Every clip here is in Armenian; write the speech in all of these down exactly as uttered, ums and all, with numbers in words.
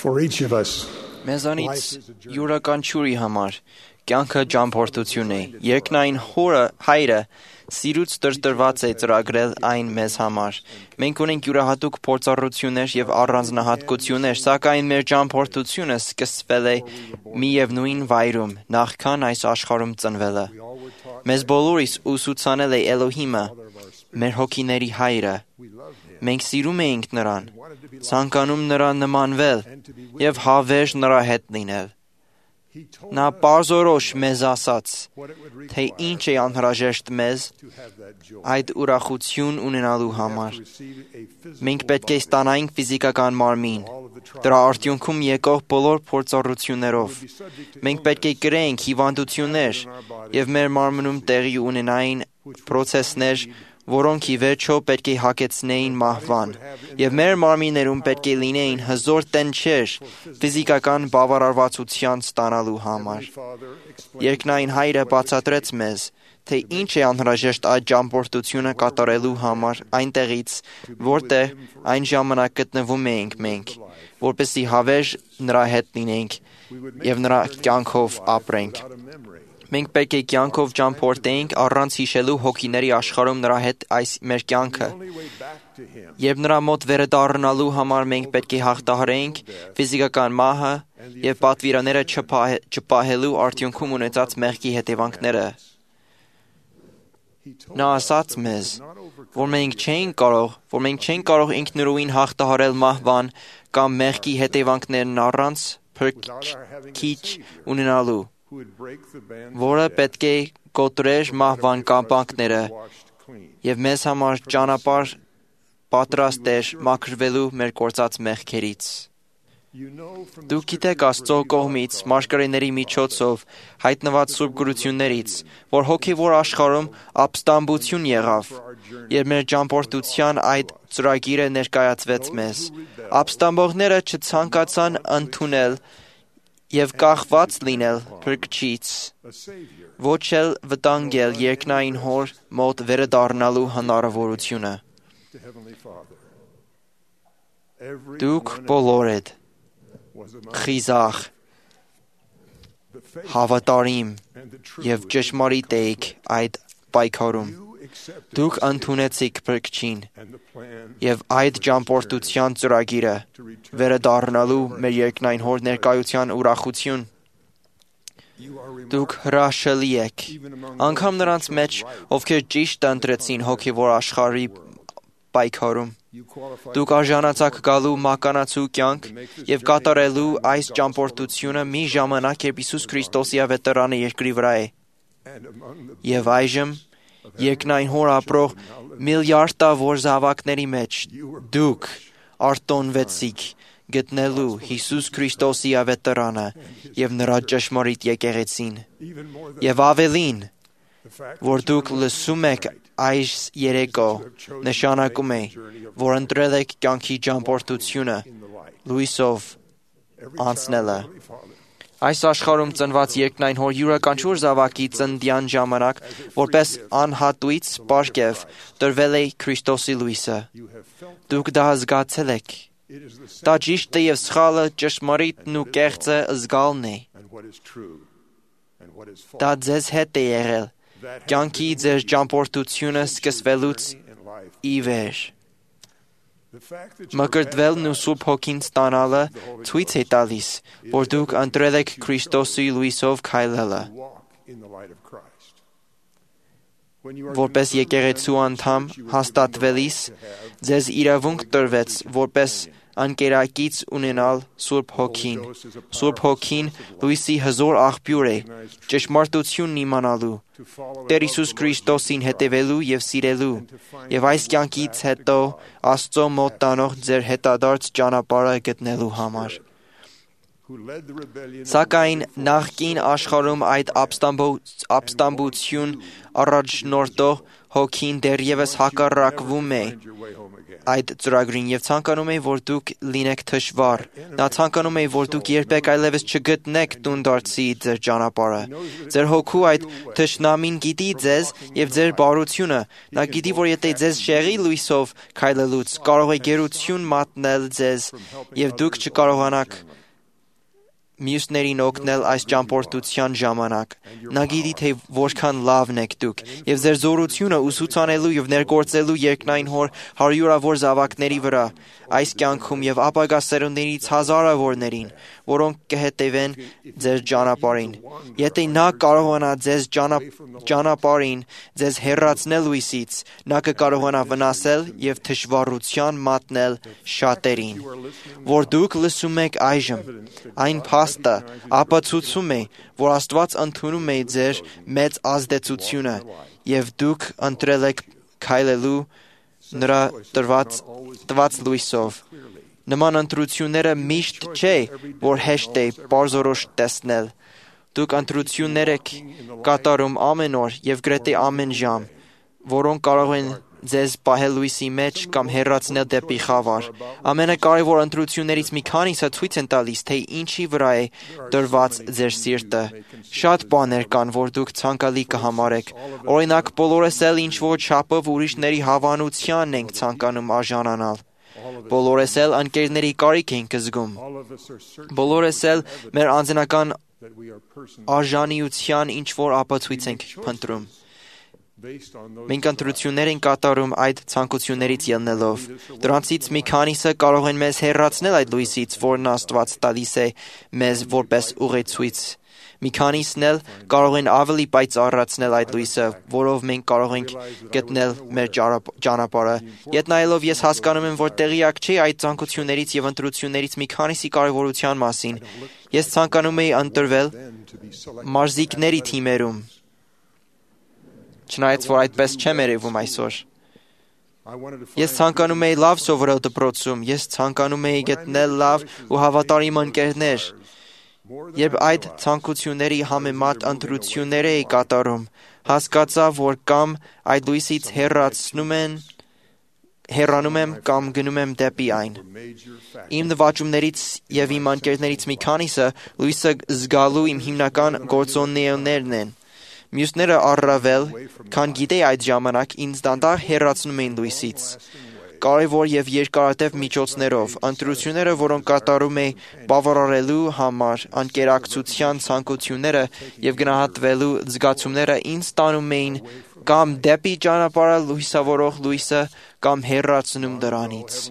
For each of us, Մեզանից յուրաքանչյուրի համար կյանքը ճամփորդություն է։ Երկնային հորը հայրը սիրուց տրտրված է ծրագրել այն մեզ համար։ Մենք ունենք յուրահատուկ փորձառություններ եւ առանձնահատկություններ, սակայն մեր ճամփորդությունը սկսվել է միևնույն վայրում, նախքան այս աշխարհում ծնվելը։ Մեզ բոլորիս ուսուցանել է Էլոհիմը, մեր հոգիների հայրը։ Մենք սիրում էինք նրան, ցանկանում նրան նմանվել եւ հավերժ նրա հետ լինել։ Նա պարզորոշ մեզ ասաց, թե ինչ է անհրաժեշտ մեզ այդ ուրախություն ունենալու համար։ Մենք պետք է ստանայինք ֆիզիկական մարմին, դրա արդյունքում եկող բոլոր փորձառություններով։ Մենք պետք է կրեինք հիվանդություններ եւ մեր մարմնում տեղի ունենային պրոցեսներ, որոնք ի վերջո պետք է հագեցնեին մահվան, եւ մեր մարմիններում պետք է լինեին հզոր տենչեր ֆիզիկական բավարարվածության ստանալու համար։ Երկնային հայրը բացատրեց մեզ, թե ինչ է անհրաժեշտ այդ ճամփորդությունը կատարելու համար այնտեղից, որտեղ այն ժամանակ գտնվում էինք մենք, որպեսզի հավերժ նրա հետ լինենք եւ նրա կյանքով ապրենք։ Մենք պետք է կյանքով ճամփորդեինք առանց հիշելու հոգիների աշխարհում նրա հետ այս մեր կյանքը։ Երբ նրա մոտ վերադառնալու համար մենք պետք է հաղթահարեինք ֆիզիկական մահը եւ պատվիրանները չպահելու արդյունքում ունեցած մեղքի հետևանքները։ Նա ասաց մեզ, որ մենք չենք կարող, որ մենք չենք կարող ինքնուրույն հաղթահարել մահվան կամ մեղքի հետևանքներն առանց փրկիչ ունենալու, որը պետք է կոտրեր մահվան կապանքները եւ մեզ համար ճանապարհ պատրաստ էր մաքրվելու մեր կործած մեղքերից։ Դուք գիտեք Աստծո կողմից մարգարեների միջոցով հայտնված սուրբ գրություններից, որ հոգևոր աշխարհում ապստամբություն եղավ, եւ մեր ճամփորդության այդ ծրագիրը ներկայացվեց մեզ։ Ապստամբողները չցանկացան ընդունել եւ կախված լինել փրկչից, ոչ էլ վտանգել երկնային հոր մոտ վերադառնալու հնարավորությունը։ Դուք բոլորդ խիզախ, հավատարիմ եւ ճշմարիտ եք այդ պայքարում։ Դուք ընդունեցիք փրկչին եւ այդ ճամփորդության ծրագիրը վերադառնալու մեր երկնային հոր ներկայության ուրախություն։ Դուք հրաշալի եք, անգամ նրանց մեջ, ովքեր ճիշտ ընտրեցին հոգևոր աշխարհի պայքարում։ Դուք արժանացաք գալու մականացու կյանք եւ կատարելու այս ճամփորդությունը մի ժամանակ, երբ Հիսուս Քրիստոսի ավետարանը երկրի վրա է։ Եվ այժմ երկնային հոր ապրող միլիարդավոր զավակների մեջ դուք արտոնվեցիք գտնելու Հիսուս Քրիստոսի ավետարանը եւ նրա ճշմարիտ եկեղեցին։ Եվ ավելին, որ դուք լսում եք այս երեկո, նշանակում է, որ ընտրել եք կյանքի ճամփորդությունը լույսով անցնելը։ Այս աշխարհում ծնված երկնային հոր յուրաքանչյուր զավակի ծննդյան ժամանակ, որպես անհատույց պարգև, տրվել է Քրիստոսի լույսը։ Դուք դա զգացել եք։ Դա ճիշտը եւ սխալը, ճշմարիտն ու կեղծը զգալն է։ Դա ձեզ հետ է եղել, կյանքի ձեր ճամփորդությունը սկսվելուց ի վեր։ Մկրտվելն ու Սուրբ Հոգին ստանալը ցույց է տալիս, որ դուք ընտրել եք Քրիստոսի լույսով քայլելը։ Որպես եկեղեցու անդամ հաստատվելիս, ձեզ իրավունք տրվեց, որպես անկերակից ունենալ Սուրբ Հոգին։ Սուրբ Հոգին լույսի հզոր աղբյուր է, ճշմարտությունն իմանալու, Տեր Հիսուս Քրիստոսին հետևելու եւ սիրելու, եւ այս կյանքից հետո Աստծո մոտ տանող ձեր հետադարձ ճանապարհը գտնելու համար։ Սակայն նախկին աշխարհում այդ ապստամբություն առաջնորդող հոգին դեռևս հակառակվում է այդ ծրագրին եւ ցանկանում է, որ դուք լինեք թշվառ։ Նա ցանկանում է, որ դուք երբեք այլևս չգտնեք տուն դարձի ձեր ճանապարհը։ Ձեր հոգու այդ թշնամին գիտի ձեզ եւ ձեր բարությունը։ Նա գիտի, որ եթե ձեզ շեղի լույսով քայլելուց, կարող է գերություն մատնել ձեզ եւ դուք չկարողանաք մյուսներին օգնել այս ճամփորդության ժամանակ։ Նա գիտի, թե որքան լավն եք դուք, եւ ձեր զորությունը ուսուցանելու եւ ներգործելու երկնային հոր հարյուրավոր զավակների վրա, այս կյանքում եւ ապագա սերունդներից հազարավորներին, որոնք կհետևեն ձեր ճանապարհին։ Եթե նա կարողանա ձեզ ճանապարհին ձեզ հեռացնել լույսից, նա կկարողանա վնասել եւ թշվառության մատնել շատերին։ Որ դուք լսում եք այժմ, այն փաստը ապացուցում է, որ Աստված ընդունում է ձեր մեծ ազդեցությունը եւ դուք ընտրել եք քայլելու նրա տրված տված լույսով։ Նման ընտրությունները միշտ չէ, որ հեշտ է բարձորոշ տեսնել։ Դուք ընտրություններ եք կատարում ամեն օր եւ գրեթե ամեն ժամ, որոնք կարող են ձեզ պահել լույսի մեջ կամ հեռացնել դեպի խավար։ Ամենակարևոր ընտրություններից մի քանիսը ցույց են տալիս, թե ինչի վրա է դրված ձեր սիրտը։ Շատ բաներ կան, որ դուք ցանկալի կհամարեք։ Օրինակ, բոլորս էլ ինչ-որ չափով ուրիշների հավանությանն ենք ցանկանում արժանանալ։ Բոլորս էլ ընկերների կարիք ենք զգում։ Բոլորս էլ մեր անձնական արժանիության ինչ-որ ապացույց ենք փնտրում։ Մենք ընտրություններ ենք կատարում այդ ցանկություններից ելնելով։ Դրանցից մի քանիսը կարող են մեզ հեռացնել այդ լույսից, որն Աստված տալիս է մեզ որպես ուղեցույց։ Մի քանիսն էլ կարող են ավելի պայծառացնել այդ լույսը, որով մենք կարող ենք գտնել մեր ճանապարհը։ Ետ նայելով ես հասկանում եմ, որ տեղյակ չի այդ ցանկություններից եւ ընտրություններից մի քանիսի կարևորության մասին։ Ես ցանկանում եի ընտրվել մարզիկների թիմերում։ Չնայած որ այդպես չեմ երևում այսօր։ Ես ցանկանում էի լավ սովորել դպրոցում, ես ցանկանում էի գտնել լավ ու հավատարիմ ընկերներ։ Երբ այդ ցանկությունների համեմատ ընտրություններ էի կատարում, հասկացա, որ կամ այդ լույսից հեռացնում են, հեռանում եմ կամ գնում եմ դեպի այն։ Իմ նվաճումներից եւ իմ ընկերներից մի քանիսը լույսը զգալու իմ հիմնական գործոններն են։ Մյուսները առավել, քան գիտեի այդ ժամանակ, ինձ դանդաղ հեռացնում էին լույսից։ Կարևոր եւ երկարատև միջոցներով, ընտրությունները, որոնք կատարում էի բավարարելու համար, անկերակցության ցանկությունները եւ գնահատվելու զգացումները ինձ տանում էին կամ դեպի ճանապարհը լույսավորող լույսը, կամ հեռացնում դրանից։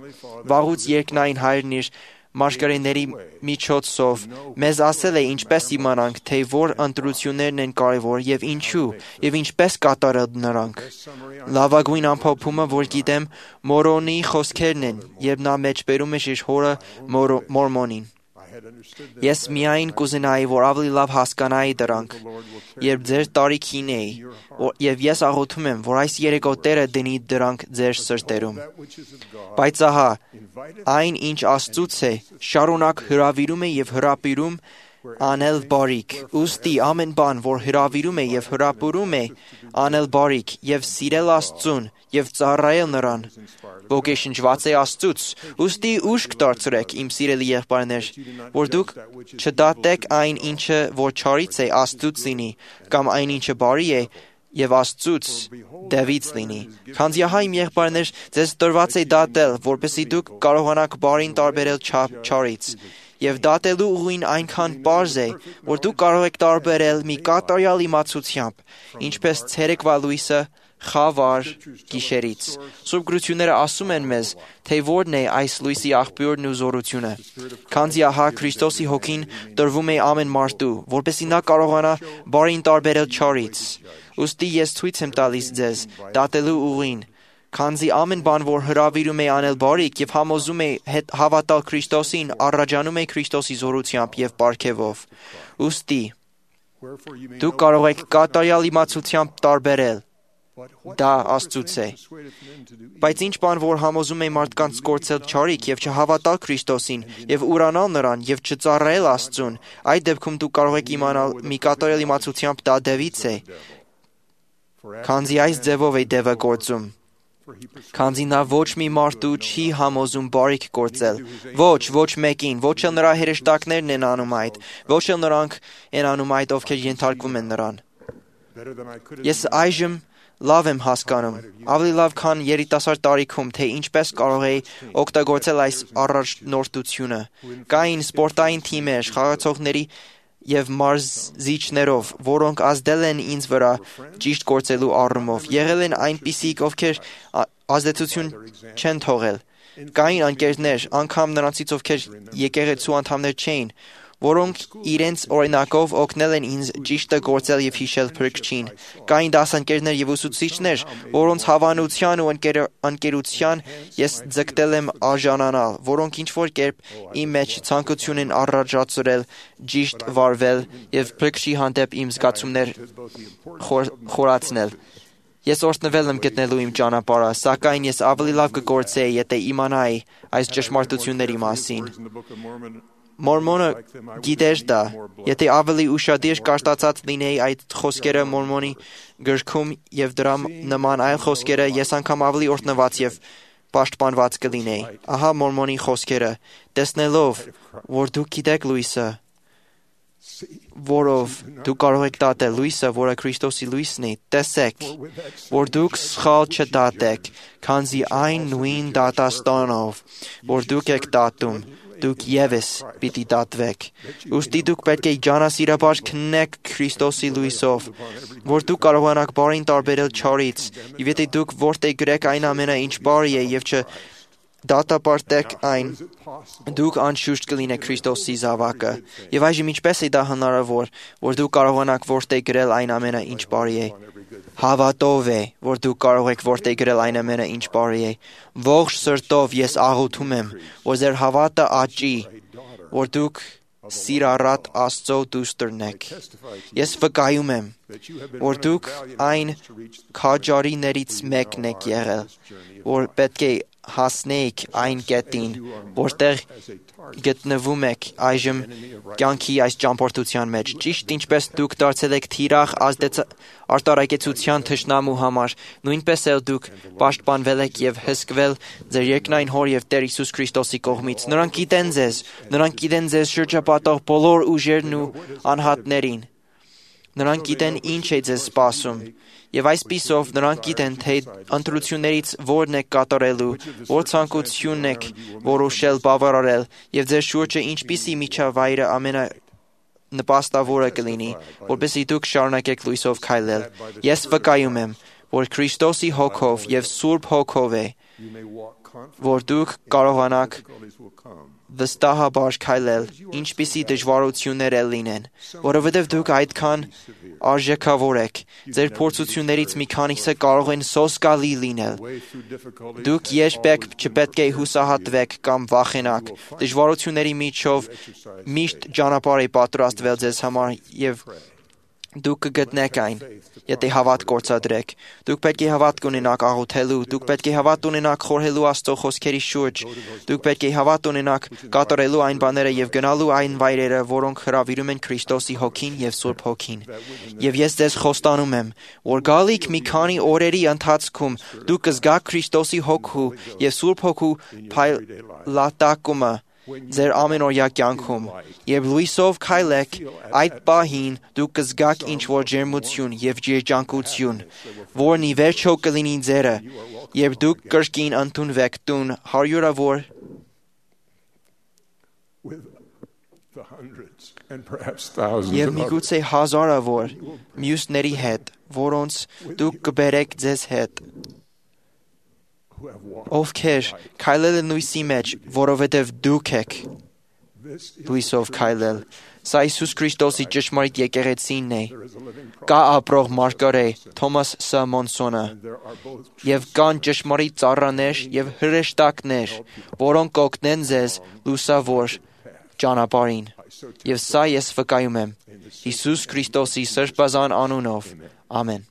Վաղուց երկնային Հայրն իր մարգարեների միջոցով մեզ ասել է ինչպես իմանանք, թե որ ընտրություններն են կարևոր եւ ինչու եւ ինչպես կատարել նրանք։ Լավագույն ամփոփումը, որ գիտեմ, Մորոնի խոսքերն են, երբ նա մեջբերում էր իր հորը Մորմոնին։ Ես միայն կուզենայի, որ ավելի լավ հասկանայի դրանք, երբ ձեր տարիքին էի, եւ ես աղոթում եմ, որ այս երեկո Տերը դնի դրանք ձեր սրտերում։ Բայց ահա, այն ինչ Աստծուց է, շարունակ հրավիրում է եւ հրապիրում անել բարիք։ Ուստի ամեն բան, որ հրավիրում է եւ հրապուրում է անել բարիք եւ սիրել Աստծուն եւ ծառայել նրան, ոգեշնչված է Աստծուց։ Ուստի ուշք դարձրեք, իմ սիրելի եղբայրներ, որ դուք չդատեք այն, ինչը որ չարից է, Աստծուց լինի, կամ այն, ինչը բարի է, եւ Աստծուց դևից լինի։ Քանզի ահա իմ եղբայրներ, ձեզ տրված է դատել, որպեսզի դուք կարողանաք բարին տարբերել չարից։ Եվ դատելու ուղին այնքան պարզ է, որ դուք կարող եք տարբերել մի կատարյալ իմացությամբ, ինչպես ցերեկվա լույսը խավար գիշերից։ Սուրբ գրությունները ասում են մեզ, թե որն է այս լույսի աղբյուրն ու զորությունը։ Քանզի ահա Քրիստոսի հոգին տրվում է ամեն մարդու, որպեսզի նա կարողանա բարին տարբերել չարից։ Ուստի ես ցույց եմ տալիս ձեզ դատելու ուղին, քանզի ամեն բան, որ հրավիրում է անել բարիք եւ համոզում է հավատալ Քրիստոսին, առաջանում է Քրիստոսի զորությամբ եւ պարգևով։ Ուստի դուք կարող եք կատարյալ իմացությամբ տարբերել դա Աստծուց է։ Բայց ինչ բան, որ համոզում է մարդկանց կորցել չարիք եւ չհավատալ Քրիստոսին եւ ուրանալ նրան եւ չծառայել Աստծուն, այդ դեպքում դուք կարող եք իմանալ մի կատարյալ իմացությամբ դա դևից է։ Քանզի այս ձևով է դևը գործում։ Քանզի նա ոչ մի մարդու չի համոզում բարիք գործել։ Ոչ, ոչ մեկին, ոչ էլ նրա հրեշտակներն են անում այդ, ոչ էլ նրանք են անում այդ, ովքեր ենթարկվում են նրան։ Ես այժմ լավ եմ հասկանում, ավելի լավ քան երիտասարդ տարիքում, թե ինչպես կարող էի օգտագործել այս առաջնորդությունը։ Կային սպորտային թիմեր, խաղացողների և մարզիչներով, որոնք ազդել են ինձ վրա ճիշտ գործելու առումով, եղել են այնպիսիք, ովքեր ազդեցություն չեն թողել։ Կային ընկերներ, անգամ նրանցից, ովքեր եկեղեցու անդամներ չէին, որոնք իրենց օրինակով օգնել են ինձ ճիշտը գործել և հիշել Փրկչին։ Կային դասընկերներ և ուսուցիչներ, որոնց հավանության ու ընկերության ես ձգտել եմ արժանանալ, որոնք ինչ-որ կերպ իմ մեջ ցանկություն են առաջացրել ճիշտ վարվել և Փրկչի հանդեպ իմ զգացումներ խորացնել։ Ես օրհնվել եմ գտնելու իմ ճանապարհը, սակայն ես ավելի լավ կգործեի, եթե իմանայի այս ճշմարտությունների մասին։ Մորմոնը գիտեր դա, եթե ավելի ուշադիր կարտացած լինեի այդ խոսքերը Մորմոնի գրքում և դրա նման այլ խոսքերը, ես անգամ ավելի օրհնված և պաշտպանված կլինեի։ Ահա Մորմոնի խոսքերը. տեսնելով, որ դուք գիտեք լույսը, որով դուք կարող եք դատել լույսը, որը Քրիստոսի լույսն է, տեսեք, որ դուք սխալ չդատեք, քանզի այն նույն դատաստանով, որ դուք եք դատում, դուք ևս պիտի դատվեք։ Ուստի դուք պետք է ջանասիրաբար քննեք Քրիստոսի լույսով, որ դուք կարողանաք բարին տարբերել չարից, և եթե դուք որդեգրեք այն ամենը, ինչ բարի է, և չդատապարտեք այն, դուք անշուշտ կլինեք Քրիստոսի զավակը։ Եվ այժմ ինչպես է դա հնարավոր, որ դուք կարողանաք որդեգրել այն ամենը, ինչ բարի է։ Հավատով է, որ դուք կարող եք որդեգրել այն ամենը, ինչ բարի է։ Ողջ սրտով ես աղոթում եմ, որ ձեր հավատը աճի, որ դուք սիրառատ Աստծո դուստրն եք։ Ես վկայում եմ, որ դուք այն քաջարիներից մեկն եք եղել, որ պետք է հասնեիք այն կետին, որտեղ գտնվում եք այժմ կյանքի այս ճամփորդության մեջ։ Ճիշտ ինչպես դուք դարձել եք թիրախ արտարակեցության թշնամու համար, նույնպես էլ դուք պաշտպանվել եք և հսկվել ձեր երկնային Հոր և Տեր Հիսուս Քրիստոսի կողմից։ Նրանք գիտեն ձեզ, նրանք գիտեն ձեզ շրջապատող բոլոր ուժերն ու անհատներին։ Նրանք գիտեն ինչ է ձեզ սպասում, և այսպիսով նրանք գիտեն, թե ընտրություններից որն եք կատարելու, որ ցանկությունն եք որոշել բավարարել, և ձեր շուրջը ինչպիսի միջավայրը ամենանպաստավորը կլինի, որպեսզի դուք շարունակեք լույսով քայլել։ Ես վկայում եմ, որ Քրիստոսի հոգով և Սուրբ Հոգով է, որ դուք կարողանաք վստահաբար քայլել, ինչպիսի դժվարություններ էլ լինեն, որովհետև դուք այդքան արժեքավոր եք։ Ձեր փորձություններից մի քանիսը կարող են սոսկալի լինել։ Դուք երբեք չպետք է հուսահատվեք կամ վախենաք։ Դժվարությունների միջով միշտ ճանապարհ է պատրաստվել ձեզ համար, և դուք կգտնեք այն, եթե հավատ գործադրեք։ Դուք պետք է հավատ ունենաք աղոթելու, դուք պետք է հավատ ունենաք խորհելու Աստծո խոսքերի շուրջ, դուք պետք է հավատ ունենաք կատարելու այն բաները և գնալու այն վայրերը, որոնք հրավիրում են Քրիստոսի Հոգին և Սուրբ Հոգին։ Եվ ես ձեզ խոստանում եմ, որ գալիք մի քանի օրերի ընթացքում դուք կզգաք Քրիստոսի Հոգու և Սուրբ Հոգու փայլատակումը ձեր ամենօրյա կյանքում, և լույսով քայլեք, այդ պահին դուք կզգաք ինչ-որ ջերմություն և երջանկություն, որն ի վերջո կլինի ձերը, երբ դուք կրկին ընդունվեք տուն հարյուրավոր և միգուցե հազարավոր մյուսների հետ, որոնց դուք կբերեք ձեզ հետ, ովքեր քայլել են լույսի մեջ, որովհետև դուք եք լույսով քայլել։ Սա Հիսուս Քրիստոսի ճշմարիտ եկեղեցին է։ Կա ապրող մարգարե Թոմաս Ս. Մոնսոնը, և կան ճշմարիտ ծառաներ և հրեշտակներ, որոնք կօգնեն ձեզ լուսավոր ճանապարհին։ Եվ սա ես վկայում եմ Հիսուս Քրիստոսի սրբազան անունով։ Ամեն։